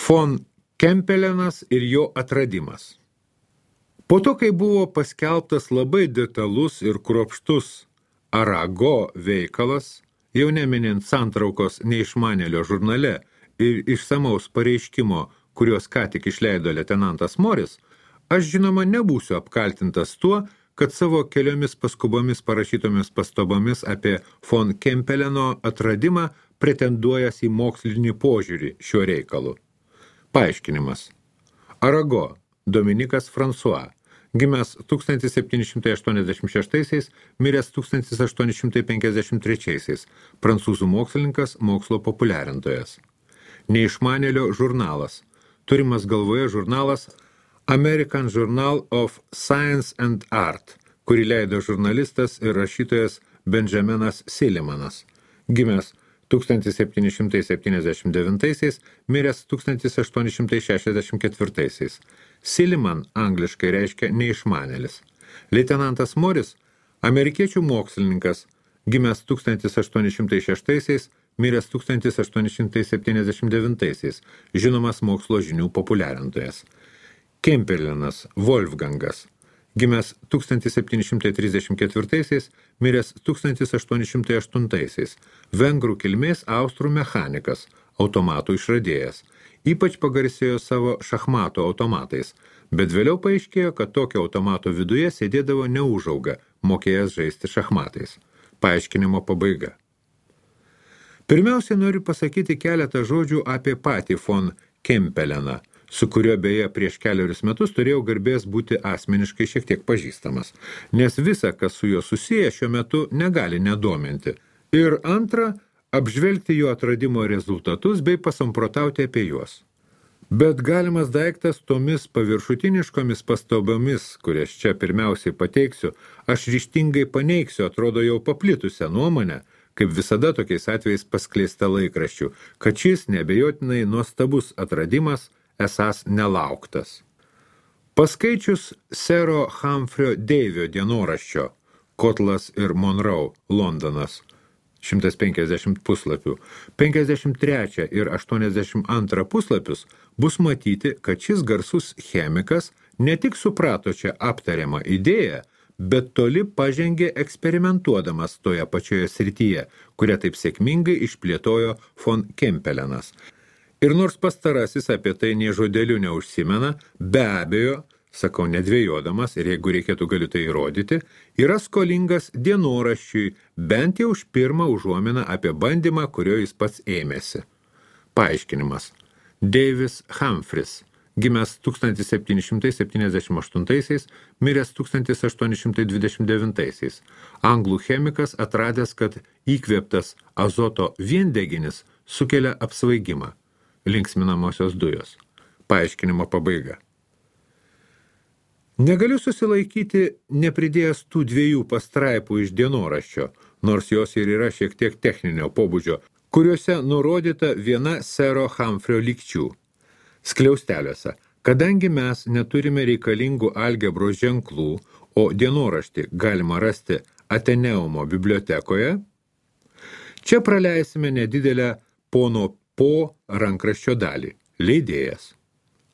Von Kempelenas ir jo atradimas. Po to, kai buvo paskelbtas labai detalus ir kruopštus Arago veikalas, jau neminint santraukos neišmanėlio žurnale ir išsamaus pareiškimo, kuriuos ką tik išleido leitenantas Moris, aš žinoma nebūsiu apkaltintas tuo, kad savo keliomis paskubomis parašytomis pastabomis apie von Kempeleno atradimą pretenduojas į mokslinį požiūrį šiuo reikalu. Paaiškinimas. Arago, Dominikas François, gimęs 1786, miręs 1853, prancūzų mokslininkas, mokslo populiarintojas. Neišmanėlio žurnalas. Turimas galvoje žurnalas American Journal of Science and Art, kurį leido žurnalistas ir rašytojas Benjaminas Sillimanas, gimęs 1779, miręs 1864. Silliman angliškai reiškia neišmanėlis. Leitenantas Moris, amerikiečių mokslininkas, gimęs 1806, miręs 1879, žinomas mokslo žinių populiarintojas. Kempelenas Wolfgangas, gimęs 1734, miręs 1808, vengrų kilmės austrų mechanikas, automatų išradėjas. Ypač pagarsėjo savo šachmato automatais, bet vėliau paaiškėjo, kad tokio automato viduje sėdėdavo neužauga, mokėjęs žaisti šachmatais. Paaiškinimo pabaiga. Pirmiausia, noriu pasakyti keletą žodžių apie patį von Kempeleną, su kuriuo beje prieš keliarius metus turėjau garbės būti asmeniškai šiek tiek pažįstamas, nes visa, kas su juo susiję šiuo metu, negali nedominti. Ir antra, apžvelgti jo atradimo rezultatus bei pasamprotauti apie juos. Bet galimas daiktas tomis paviršutiniškomis pastabomis, kurias čia pirmiausiai pateiksiu, aš ryžtingai paneigsiu, atrodo jau paplitusią nuomonę, kaip visada tokiais atvejais paskleista laikraščių, kad šis neabejotinai nuostabus atradimas esąs nelauktas. Paskaičius sero Humphrey Davio dienoraščio Kotlas ir Monroe, Londonas, 150 puslapių, 53 ir 82 puslapius bus matyti, kad šis garsus chemikas ne tik suprato čia aptariamą idėją, bet toli pažengė eksperimentuodamas toje pačioje srityje, kurią taip sėkmingai išplėtojo von Kempelenas. Ir nors pastarasis apie tai nė žodeliu neužsimena, be abejo, sakau nedvėjodamas, ir jeigu reikėtų galiu tai įrodyti, yra skolingas dienoraščiui, bent jau už pirmą užuominą apie bandymą, kurio jis pats ėmėsi. Paaiškinimas. Davis Humphreys, gimęs 1778, miręs 1829, anglų chemikas atradęs, kad įkvėptas azoto viendeginis sukelia apsvaigimą. Linksminamosios dujos. Paaiškinimo pabaiga. Negaliu susilaikyti nepridėjęs tų dviejų pastraipų iš dienoraščio, nors jos ir yra šiek tiek techninio pobūdžio, kuriuose nurodyta viena sero Humphrey lygčių. Skliausteliuose, kadangi mes neturime reikalingų algebros ženklų, o dienoraštį galima rasti Ateneumo bibliotekoje, čia praleisime nedidelę pono po rankraščio dalį. Leidėjas.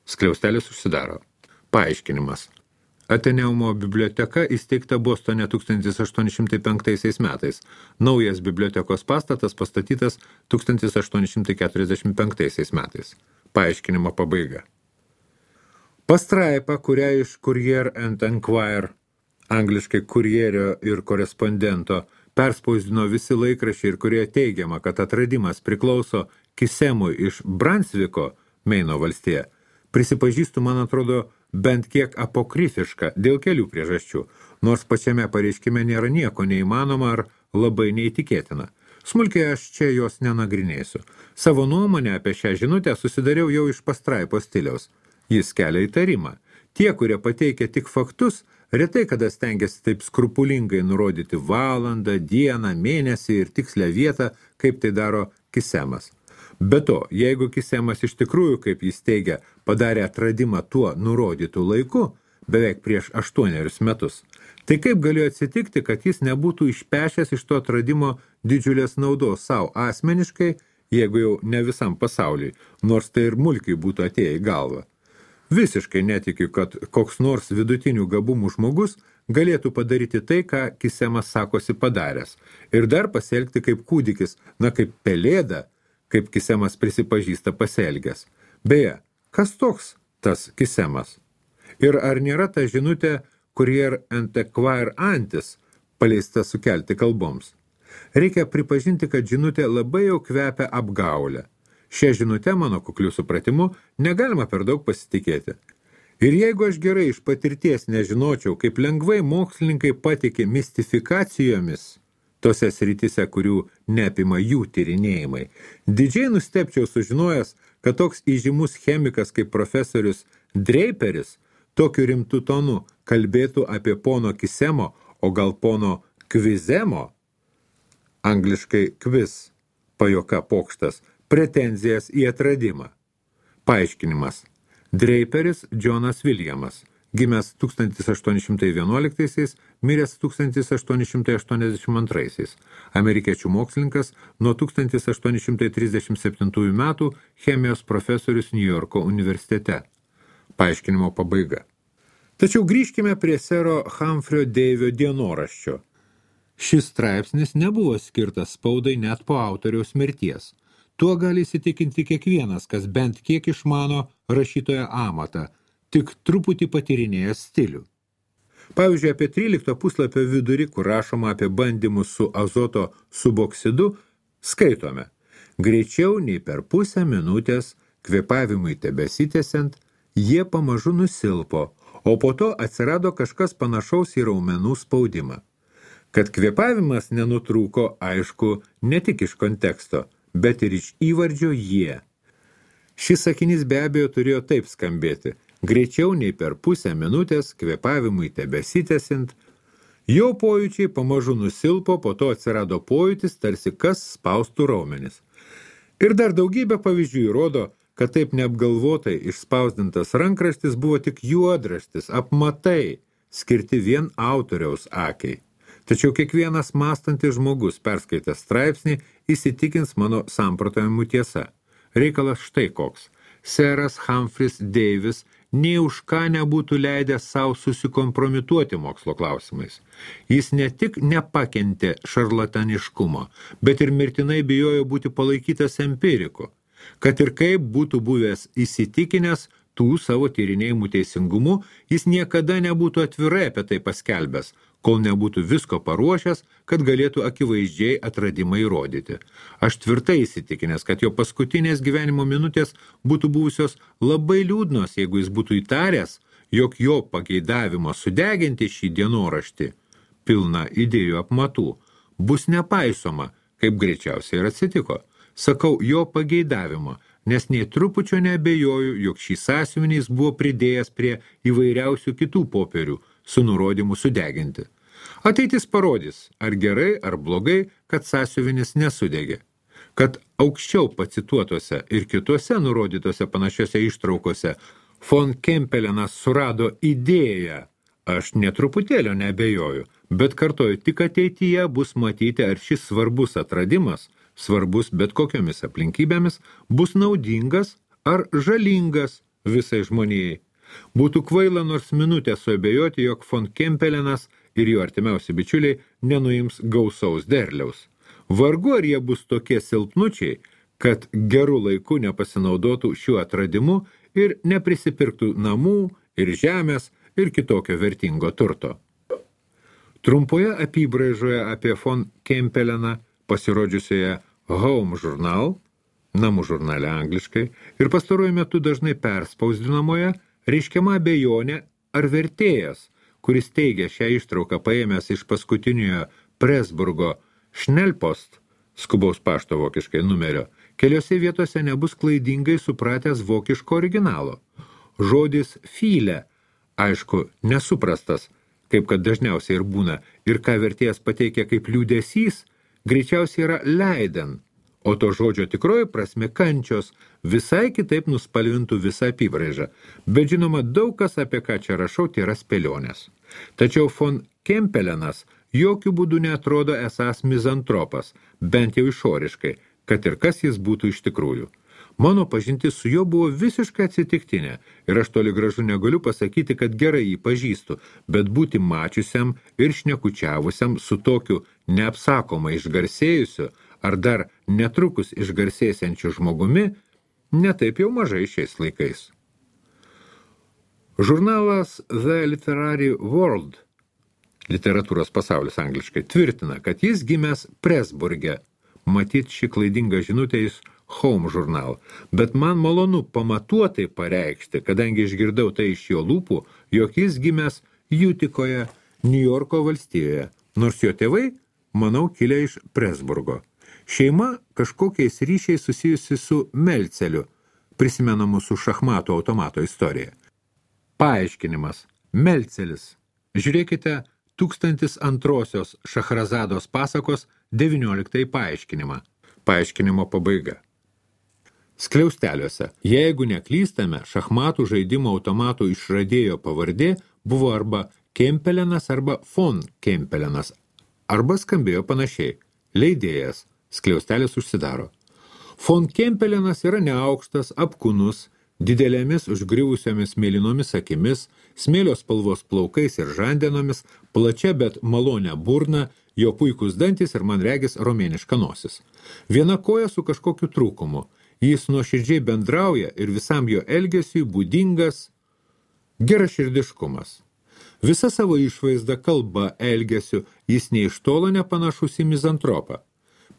Skliaustelis užsidaro. Paaiškinimas. Ateneumo biblioteka įsteigta Bostone 1805 metais. Naujas bibliotekos pastatas pastatytas 1845 metais. Paaiškinimo pabaiga. Pastraipa, kurią iš Courier and Enquirer, angliškai kurjerio ir korespondento, perspausdino visi laikraščiai ir kurioje teigiama, kad atradimas priklauso Kisemui iš Brunsviko, Meino valstija, prisipažįstu, man atrodo, bent kiek apokrifiška dėl kelių priežasčių, nors pačiame pareiškime nėra nieko neįmanoma ar labai neįtikėtina. Smulkiai aš čia jos nenagrinėsiu. Savo nuomonę apie šią žinutę susidariau jau iš pastraipos stiliaus. Jis kelia įtarimą. Tie, kurie pateikia tik faktus, retai kada stengiasi taip skrupulingai nurodyti valandą, dieną, mėnesį ir tikslę vietą, kaip tai daro Kisemas. Be to, jeigu Kisemas iš tikrųjų, kaip jis teigia, padarė atradimą tuo nurodytų laiku, beveik prieš 8 metus, tai kaip galėjo atsitikti, kad jis nebūtų išpešęs iš to atradimo didžiulės naudos savo asmeniškai, jeigu jau ne visam pasauliui, nors tai ir mulkiai būtų atėję į galvą. Visiškai netikiu, kad koks nors vidutinių gabumų žmogus galėtų padaryti tai, ką Kisemas sakosi padaręs, ir dar pasielgti kaip kūdikis, kaip pelėda, kaip Kisemas prisipažįsta pasielgęs. Beje, kas toks tas Kisemas? Ir ar nėra ta žinutė Courier Antiquaire Antis paleista sukelti kalboms? Reikia pripažinti, kad žinutė labai jau kvepia apgaulę. Šią žinutę, mano kukliu supratimu, negalima per daug pasitikėti. Ir jeigu aš gerai iš patirties nežinočiau, kaip lengvai mokslininkai patikė mistifikacijomis tose srityse, kurių neapima jų tyrinėjimai, didžiai nustebčiau sužinojęs, kad toks įžymus chemikas kaip profesorius Draperis tokiu rimtu tonu kalbėtų apie pono Kisemo, o gal pono Kvizemo, angliškai quiz, pajuoka pokštas, pretenzijas į atradimą. Paaiškinimas. Draperis Johnas Williamas, gimęs 1811, miręs 1882, amerikiečių mokslininkas, nuo 1837 metų chemijos profesorius New Yorko universitete. Paaiškinimo pabaiga. Tačiau grįžkime prie sero Humphrey Davio dienoraščio. Šis straipsnis nebuvo skirtas spaudai net po autoriaus mirties. Tuo gali įsitikinti kiekvienas, kas bent kiek išmano rašytojo amatą, tik truputį patyrinėjęs stilių. Pavyzdžiui, apie 13 puslapio vidurį, kur rašoma apie bandymus su azoto suboksidu, skaitome: greičiau nei per pusę minutės, kvėpavimui tebesitęsiant, jie pamažu nusilpo, o po to atsirado kažkas panašaus į raumenų spaudimą. Kad kvėpavimas nenutrūko, aišku, ne tik iš konteksto, bet ir iš įvardžio jie. Šis sakinys be abejo turėjo taip skambėti: greičiau nei per pusę minutės, kvėpavimui tebesitęsiant, jo pojūčiai pamažu nusilpo, po to atsirado pojūtis, tarsi kas spaustų raumenis. Ir dar daugybė pavyzdžių įrodo, kad taip neapgalvotai išspausdintas rankraštis buvo tik juodraštis, apmatai, skirti vien autoriaus akiai. Tačiau kiekvienas mąstantis žmogus, perskaitęs straipsnį, įsitikins mano samprotavimų tiesa. Reikalas štai koks. Seras Humphreys Davis nei už ką nebūtų leidęs savo susikompromituoti mokslo klausimais. Jis ne tik nepakentė šarlataniškumo, bet ir mirtinai bijojo būti palaikytas empiriku. Kad ir kaip būtų buvęs įsitikinęs tų savo tyrinėjimų teisingumu, jis niekada nebūtų atvirai apie tai paskelbęs, kol nebūtų visko paruošęs, kad galėtų akivaizdžiai atradimą įrodyti. Aš tvirtai įsitikinęs, kad jo paskutinės gyvenimo minutės būtų buvusios labai liūdnos, jeigu jis būtų įtaręs, jog jo pageidavimo sudeginti šį dienoraštį, pilną idėjų apmatų, bus nepaisoma, kaip greičiausiai ir atsitiko. Sakau jo pageidavimo, nes nei trupučio neabejoju, jog šį sąsiuvinį jis buvo pridėjęs prie įvairiausių kitų popierių su nurodymu sudeginti. Ateitis parodys, ar gerai, ar blogai, kad sąsiuvinis nesudegė. Kad aukščiau pacituotose ir kituose nurodytose panašiose ištraukose von Kempelenas surado idėją, aš netruputėlio neabejoju, bet kartoju, tik ateityje bus matyti, ar šis svarbus atradimas, svarbus bet kokiomis aplinkybėmis, bus naudingas ar žalingas visai žmonijai. Būtų kvaila nors minutę suabejoti, jog von Kempelenas ir jo artimiausi bičiuliai nenuims gausaus derliaus. Vargu ar jie bus tokie silpnučiai, kad gerų laiku nepasinaudotų šiuo atradimu ir neprisipirktų namų ir žemės ir kitokio vertingo turto. Trumpoje apybraižoje apie von Kempeleną, pasirodžiusioje Home Journal, namų žurnale angliškai, ir pastaruoju metu dažnai perspausdinamoje, reiškiama abejonė, ar vertėjas, kuris teigia šią ištrauką paėmęs iš paskutiniojo Presburgo Schnellpost, skubaus pašto vokiškai numerio, keliose vietose nebus klaidingai supratęs vokiško originalo. Žodis viele, aišku, nesuprastas, kaip kad dažniausiai ir būna, ir ką vertėjas pateikia kaip liūdesys, greičiausiai yra leiden, o to žodžio tikroji prasme kančios visai kitaip nuspalvintų visą apybraižą. Bet žinoma, daug kas, apie ką čia rašau, tai yra spėlionės. Tačiau von Kempelenas jokių būdų neatrodo esąs mizantropas, bent jau išoriškai, kad ir kas jis būtų iš tikrųjų. Mano pažintis su juo buvo visiškai atsitiktinė ir aš toli gražu negaliu pasakyti, kad gerai jį pažįstu, bet būti mačiusiam ir šnekučiavusiam su tokiu neapsakomai išgarsėjusiu ar dar netrukus išgarsėsiančiu žmogumi netaip jau mažai šiais laikais. Žurnalas The Literary World, literatūros pasaulis angliškai, tvirtina, kad jis gimęs Presburge. Matyt, ši klaidinga žinutė iš Home žurnal, bet man malonu pamatuotai pareikšti, kadangi išgirdau tai iš jo lūpų, jog jis gimęs Jutikoje, Niujorko valstijoje, nors jo tėvai, manau, kilę iš Presburgo. Šeima kažkokiais ryšiais susijusi su Melceliu, prisimenamu su šachmatų automato istorija. Paaiškinimas. Melcelis. Žiūrėkite 1002 Šachrazados pasakos 19 paaiškinimą. Paaiškinimo pabaiga. Skliausteliuose. Jeigu neklystame, šachmatų žaidimo automatų išradėjo pavardė buvo arba Kempelenas arba von Kempelenas, arba skambėjo panašiai. Leidėjas. Skliaustelis užsidaro. Von Kempelenas yra neaukštas, apkūnus, didelėmis užgriuvusiomis mėlynomis akimis, smėlio spalvos plaukais ir žandenomis, plačia, bet malonė burna, jo puikus dantis ir man regis romėniška nosis. Viena koja su kažkokiu trūkumu. Jis nuoširdžiai bendrauja ir visam jo elgesiui būdingas geraširdiškumas. Visa savo išvaizda, kalba, elgesiu, jis nei iš tolo nepanašus į mizantropą.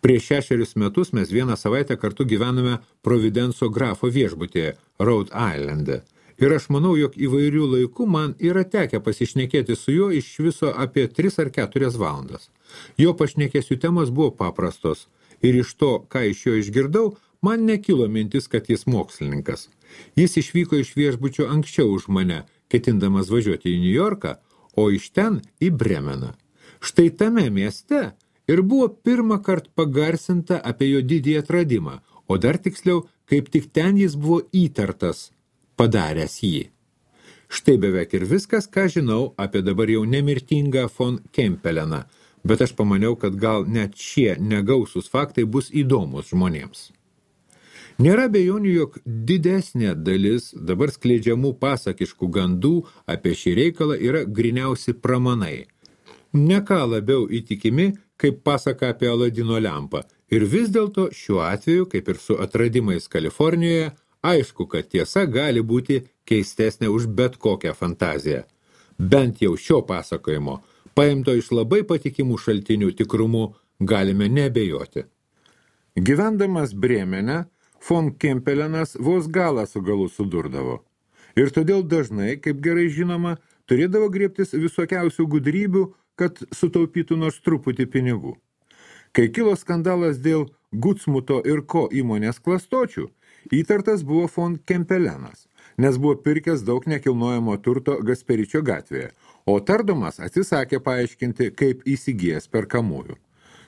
Prieš 6 metus mes vieną savaitę kartu gyvename Providenso grafo viešbutyje, Rhode Islande. Ir aš manau, jog įvairių laikų man yra tekę pasišnekėti su juo iš viso apie 3 ar 4 valandas. Jo pašnekėsių temos buvo paprastos. Ir iš to, ką iš jo išgirdau, man nekilo mintis, kad jis mokslininkas. Jis išvyko iš viešbučio anksčiau už mane, ketindamas važiuoti į Niujorką, o iš ten į Bremeną. Štai tame mieste ir buvo pirmą kartą pagarsinta apie jo didį atradimą, o dar tiksliau, kaip tik ten jis buvo įtartas, padaręs jį. Štai beveik ir viskas, ką žinau apie dabar jau nemirtingą von Kempeleną, bet aš pamaniau, kad gal net šie negausūs faktai bus įdomus žmonėms. Nėra abejonių, jog didesnė dalis dabar skleidžiamų pasakiškų gandų apie šį reikalą yra griniausi pramanai. Ne ką labiau įtikimi, kaip pasaka apie Aladino lempą. Ir vis dėlto šiuo atveju, kaip ir su atradimais Kalifornijoje, aišku, kad tiesa gali būti keistesnė už bet kokią fantaziją. Bent jau šio pasakojimo, paimto iš labai patikimų šaltinių tikrumu, galime neabejoti. Gyvendamas Bremene, von Kempelenas vos galą su galu sudurdavo. Ir todėl dažnai, kaip gerai žinoma, turėdavo griebtis visokiausių gudrybių, kad sutaupytų nors truputį pinigų. Kai kilo skandalas dėl Gutsmuto ir Ko įmonės klastočių, įtartas buvo von Kempelenas, nes buvo pirkęs daug nekilnojamo turto Gasperičio gatvėje, o tardomas atsisakė paaiškinti, kaip įsigijęs perkamųjų.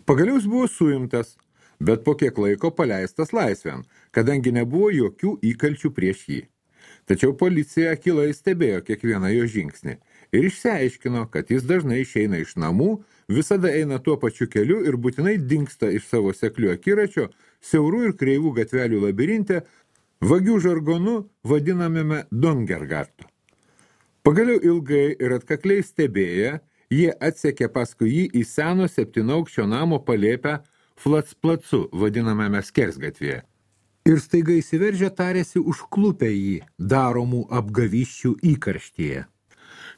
Pagaliau jis buvo suimtas, bet po kiek laiko paleistas laisvėn, kadangi nebuvo jokių įkalčių prieš jį. Tačiau policija akylai stebėjo kiekvieną jo žingsnį ir išsiaiškino, kad jis dažnai išeina iš namų, visada eina tuo pačiu keliu ir būtinai dingsta iš savo seklių akiračio, siaurų ir kreivų gatvelių labirinte, vagių žargonu vadinamame Dongergartu. Pagaliau ilgai ir atkakliai stebėję, jie atsekė paskui jį į seno 7-aukščio namo palėpę Flatsplacu, vadinamame Skersgatvėje. Ir staiga įsiveržę tarėsi užklupę jį daromų apgavysčių įkarštyje.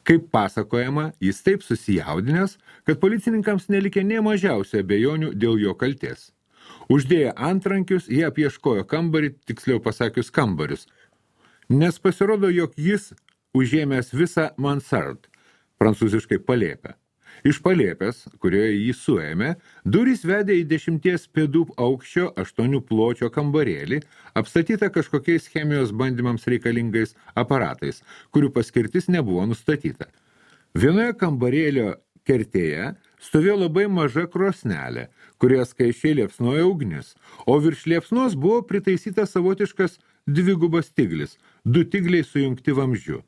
Kaip pasakojama, jis taip susijaudinęs, kad policininkams nelikė nė mažiausių abejonių dėl jo kaltės. Uždėję antrankius, jie apieškojo kambarį, tiksliau pasakius kambarius, nes pasirodo, jog jis užėmęs visą mansard, prancūziškai palėpę. Iš palėpės, kurioje jį suėmė, durys vedė į 10 pėdų aukščio 8 pločio kambarėlį, apstatytą kažkokiais chemijos bandymams reikalingais aparatais, kurių paskirtis nebuvo nustatyta. Vienoje kambarėlio kertėje stovėjo labai maža krosnelė, kurioje skaisčiai liepsnojo ugnis, o virš liepsnos buvo pritaisytas savotiškas dvigubas tiglis, 2 tigliai sujungti vamzdžiu.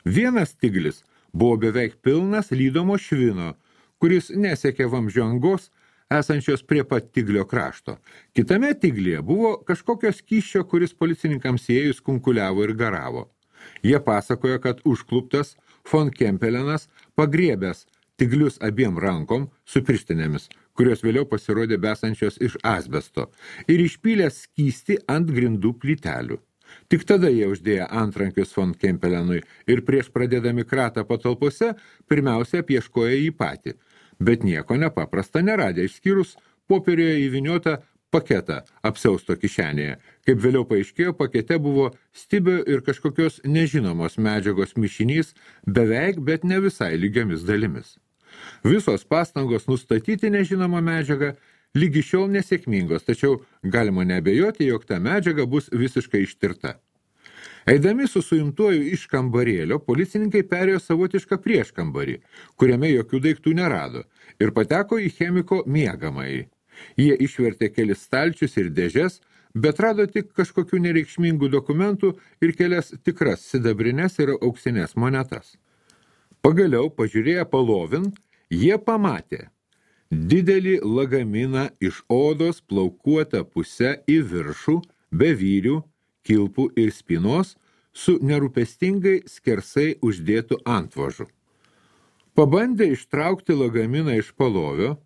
Vienas tiglis buvo beveik pilnas lydomo švino, kuris nesiekė vamzdžio angos, esančios prie pat tiglio krašto. Kitame tiglyje buvo kažkokio skysčio, kuris policininkams įėjus kunkuliavo ir garavo. Jie pasakojo, kad užkluptas von Kempelenas pagriebęs tiglius abiem rankom su pirštinėmis, kurios vėliau pasirodė besančios iš asbesto, ir išpylęs skystį ant grindų plytelių. Tik tada jie uždėjo antrankius von Kempelenui ir prieš pradėdami kratą patalpose pirmiausia apieškojo jį patį, bet nieko nepaprasta neradė, išskyrus popierioje įvyniotą paketą apsiausto kišenėje. Kaip vėliau paaiškėjo, pakete buvo stibio ir kažkokios nežinomos medžiagos mišinys beveik, bet ne visai lygiomis dalimis. Visos pastangos nustatyti nežinomą medžiagą lygi šiol nesėkmingos, tačiau galima neabejoti, jog ta medžiaga bus visiškai ištirta. Eidami su suimtuoju iš kambarėlio, policininkai perėjo savotišką prieškambarį, kuriame jokių daiktų nerado, ir pateko į chemiko miegamąjį. Jie išvertė kelis stalčius ir dėžes, bet rado tik kažkokių nereikšmingų dokumentų ir kelias tikras sidabrines ir auksinės monetas. Pagaliau, pažiūrėję palovin, jie pamatė didelį lagaminą iš odos plaukuotą pusę į viršų, be vyrių, kilpų ir spynos, su nerūpestingai skersai uždėtų antvožu. Pabandę ištraukti lagaminą iš palovio,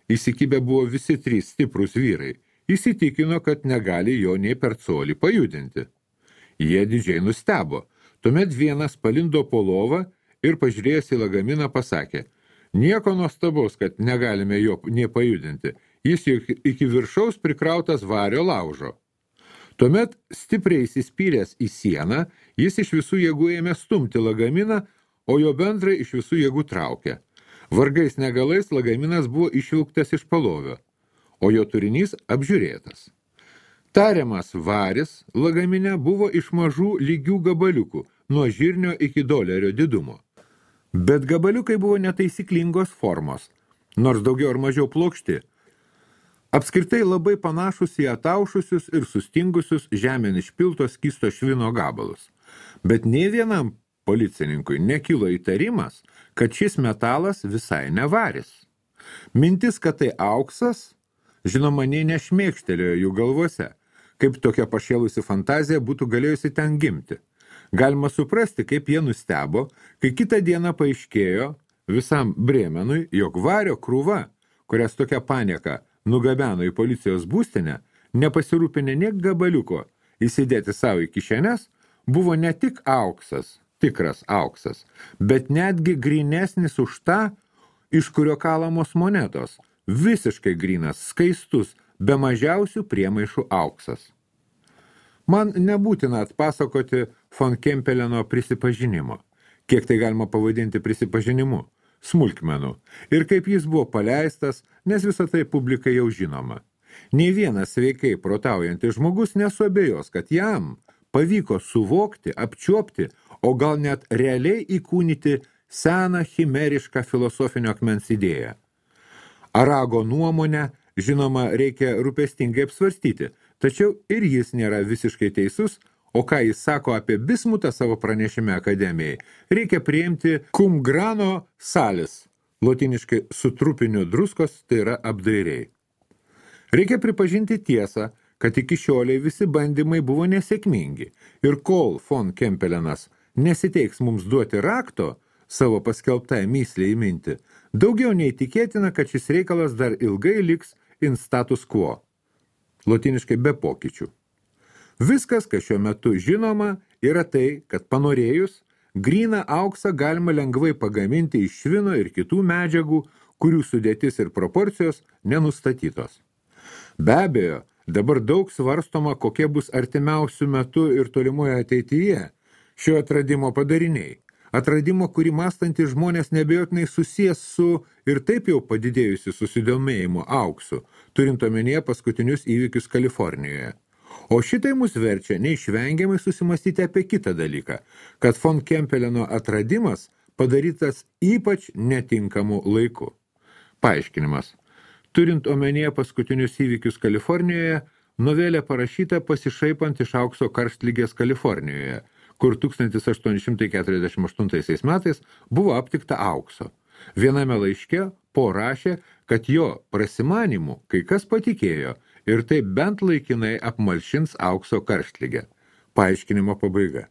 įsikibę buvo visi trys stiprūs vyrai, įsitikino, kad negali jo nei per colį pajudinti. Jie didžiai nustebo, tuomet vienas palindo po lovą ir pažiūrėjęs į lagaminą pasakė: nieko nuostabaus, kad negalime jo nie pajudinti, jis iki viršaus prikrautas vario laužo. Tuomet stipriai įsispyręs į sieną, jis iš visų jėgų ėmė stumti lagaminą, o jo bendrai iš visų jėgų traukė. Vargais negalais lagaminas buvo išvilktas iš palovio, o jo turinys apžiūrėtas. Tariamas varis lagamine buvo iš mažų lygių gabaliukų, nuo žirnio iki dolerio didumo. Bet gabaliukai buvo netaisyklingos formos, nors daugiau ar mažiau plokšti. Apskritai labai panašus į ataušusius ir sustingusius žemėn išpilto skysto švino gabalus. Bet nei vienam policininkui nekilo įtarimas, kad šis metalas visai nevaris. Mintis, kad tai auksas, žinoma, nei nešmėkštelėjo jų galvose, kaip tokia pašėlusi fantazija būtų galėjusi ten gimti. Galima suprasti, kaip jie nustebo, kai kitą dieną paaiškėjo visam Bremenui, jog vario krūva, kurias tokia panieka nugabeno į policijos būstinę, nepasirūpinę nė gabaliuko įsidėti savo į kišenes, buvo ne tik auksas, tikras auksas, bet netgi grynesnis už tą, iš kurio kalamos monetos, visiškai grynas, skaistus, be mažiausių priemaišų auksas. Man nebūtina atpasakoti von Kempeleno prisipažinimo, kiek tai galima pavadinti prisipažinimu, smulkmenų, ir kaip jis buvo paleistas, nes visą tai publikai jau žinoma. Nei vienas sveikai protaujantis žmogus nesuabejos, kad jam pavyko suvokti, apčiuopti, o gal net realiai įkūnyti seną chimerišką filosofinio akmens idėją. Arago nuomonę, žinoma, reikia rūpestingai apsvarstyti, tačiau ir jis nėra visiškai teisus, o ką jis sako apie bismutą savo pranešime akademijai, reikia priimti cum grano salis, lotiniškai su trupiniu druskos, tai yra apdairiai. Reikia pripažinti tiesą, kad iki šioliai visi bandymai buvo nesėkmingi ir kol von Kempelenas nesiteiks mums duoti rakto savo paskelbtąją mįslę įminti, daugiau nei tikėtina, kad šis reikalas dar ilgai liks in status quo, lotiniškai be pokyčių. Viskas, kas šiuo metu žinoma, yra tai, kad panorėjus, gryną auksą galima lengvai pagaminti iš švino ir kitų medžiagų, kurių sudėtis ir proporcijos nenustatytos. Be abejo, dabar daug svarstoma, kokie bus artimiausių metų ir tolimoje ateityje šio atradimo padariniai. Atradimo, kurį mąstantys žmonės neabejotinai susijęs su ir taip jau padidėjusiu susidomėjimu auksu, turint omenyje paskutinius įvykius Kalifornijoje. O šitai mus verčia neišvengiamai susimastyti apie kitą dalyką, kad von Kempeleno atradimas padarytas ypač netinkamu laiku. Paaiškinimas. Turint omenyje paskutinius įvykius Kalifornijoje, novelė parašyta pasišaipant iš aukso karštlygės Kalifornijoje, kur 1848 metais buvo aptikta aukso. Viename laiške Po rašė, kad jo prasimanimų kai kas patikėjo ir taip bent laikinai apmalšins aukso karštligę. Paaiškinimo pabaiga.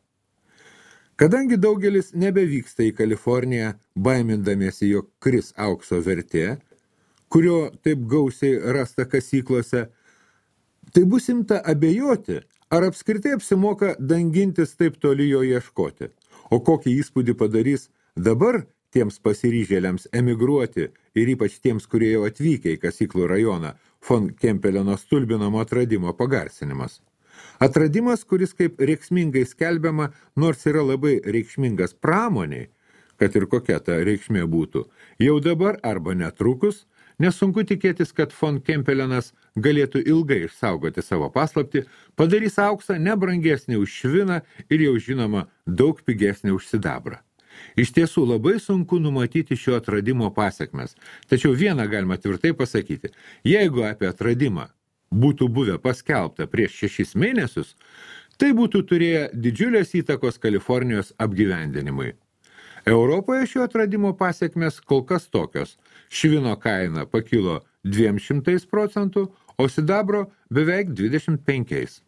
Kadangi daugelis nebevyksta į Kaliforniją, baimindamiesi, jog kris aukso vertė, kurio taip gausiai rasta kasyklose, tai bus imta abejoti, ar apskritai apsimoka dangintis taip toli jo ieškoti. O kokį įspūdį padarys dabar tiems pasiryžėliams emigruoti ir ypač tiems, kurie jau atvykę į kasyklų rajoną, von Kempeleno stulbinamo atradimo pagarsinimas. Atradimas, kuris kaip reikšmingai skelbiama, nors yra labai reikšmingas pramoniai, kad ir kokia ta reikšmė būtų, jau dabar arba netrukus, nesunku tikėtis, kad von Kempelenas galėtų ilgai išsaugoti savo paslaptį, padarys auksą nebrangesnį už šviną ir jau žinoma daug pigesnį už sidabrą. Iš tiesų labai sunku numatyti šio atradimo pasekmes, tačiau vieną galima tvirtai pasakyti, jeigu apie atradimą būtų buvę paskelbta prieš 6 mėnesius, tai būtų turėję didžiulės įtakos Kalifornijos apgyvendinimui. Europoje šio atradimo pasekmės kol kas tokios. Švino kaina pakilo 200%, o sidabro beveik 25%.